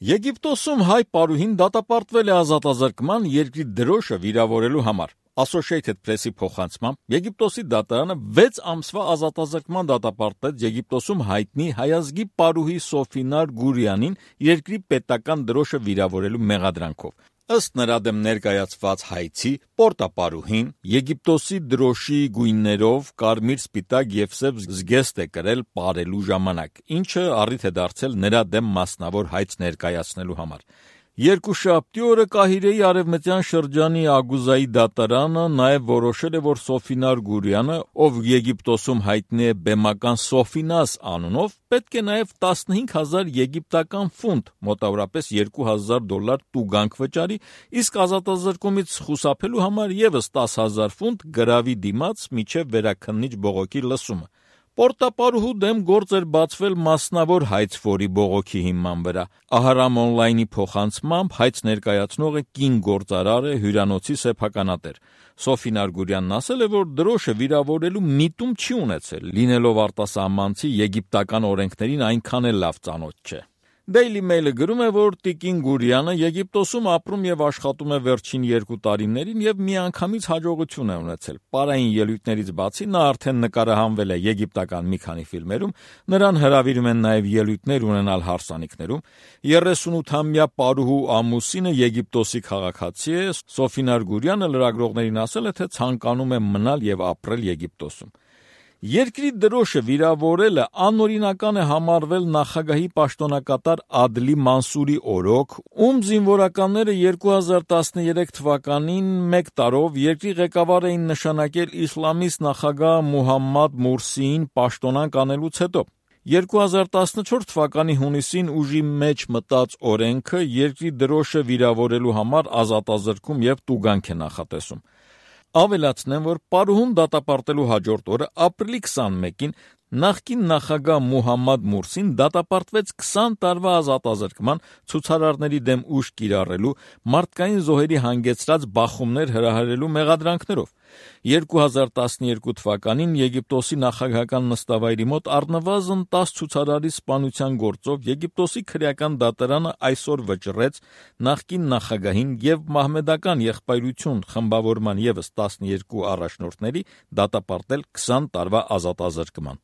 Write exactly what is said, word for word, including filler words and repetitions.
Եգիպտոսում հայ պարուհին դատապարտվել է ազատազրկման երկրի դրոշը վիրավորելու համար։ Associated Press-ի փոխանցմամբ Եգիպտոսի դատարանը վեց ամսվա ազատազրկման դատապարտեց Եգիպտոսում հայտնի հայազգի պարուհի Սոֆինար Գուրյանին երկրի պետական դրոշը վիրավորելու մեղադրանքով։ Ըստ նրա դեմ ներկայացված հայցի, պորտապարուհին Եգիպտոսի դրոշի գույներով կարմիր, սպիտակ և սև զգեստ է կրել պարելու ժամանակ, ինչը առիթ է դարձել նրա դեմ մասնավոր հայց ներկայացնելու համար։ Երկուշաբթի օրը Կահիրեի արևմտյան շրջանի Ագուզայի դատարանը նաև որոշել է, որ Սոֆինար Գուրյանը, ով Եգիպտոսում հայտնի է բեմական Սոֆինաս անունով, պետք է նաև տասնհինգ հազար եգիպտական ֆունտ, մոտավորապես երկու հազար դոլար տուգանք վճարի, իսկ ազատազրկումից խուսափելու համար ևս տասը հազար ֆունտ գրավի դիմաց մինչև վերաքննիչ բողոքի լսումը։ Պորտապարուհու դեմ գործ էր բացվել մասնավոր հայց ֆորի բողոքի հիման վրա։ Ահարամ օնլայնի փոխանցմամբ հայց ներկայացնողը կին գործարար է, հյուրանոցի սեփականատեր։ Սոֆինար Գուրյանն ասել է, որ դրոշը վիրավորելու միտում չի ունեցել, լինելով արտասահմանցի եգիպտական օրենքներին այնքան էլ լավ ծանոթ չէ։ Daily Mail-ը գրում է, որ Տիկին Գուրյանը Եգիպտոսում ապրում և աշխատում է վերջին երկու տարիներին և միանգամից հաջողություն է ունեցել։ Պարային ելույթներից բացի նա արդեն նկարահանվել է եգիպտական մի քանի ֆիլմերում, նրան հրավիրում են նաև ելույթներ ունենալ հարսանիքներում։ երեսունութամյա պարուհու ամուսինը Եգիպտոսի քաղաքացի է, Սոֆինար Գուրյանը լրագրողներին ասել է, թե ցանկանում է մնալ և ապրել Եգիպտոսում։ Երկրի դրոշը վիրավորելը անօրինական է համարվել նախագահի պաշտոնակատար Ադլի Մանսուրի օրոք, ում զինվորականները երկու հազար տասներեք թվականին մեկ տարով երկրի ղեկավար էին նշանակել իսլամիստ նախագահ Մուհամմադ Մուրսիին պաշտոնանկ անելուց հետո։ երկու հազար տասնչորս թվականի հունիսին ուժի մեջ մտած օրենքը երկրի դրոշը վիրավորելու համար ազատազրկում և տուգանք է նախատեսում։ Ավելացնեմ, որ պարուհուն դատապարտելու հաջորդ օրը ապրիլի քսանմեկին նախկին նախագահ Մուհամմադ Մուրսին դատապարտվեց քսան տարվա ազատազրկման ցուցարարների դեմ ուժ կիրառելու, մարդկային զոհերի հանգեցրած բախումներ հրահրելու մեղադրանքներով։ երկու հազար տասներկու թվականին Եգիպտոսի նախագահական նստավայրի մոտ առնվազն տասը ցուցարարի սպանության գործով Եգիպտոսի քրեական դատարանը այսօր վճռեց նախկին նախագահին և մահմեդական եղբայրություն խմբավորման ևս տասներկու առաջնորդների դատապարտել քսան տարվա ազատազրկման։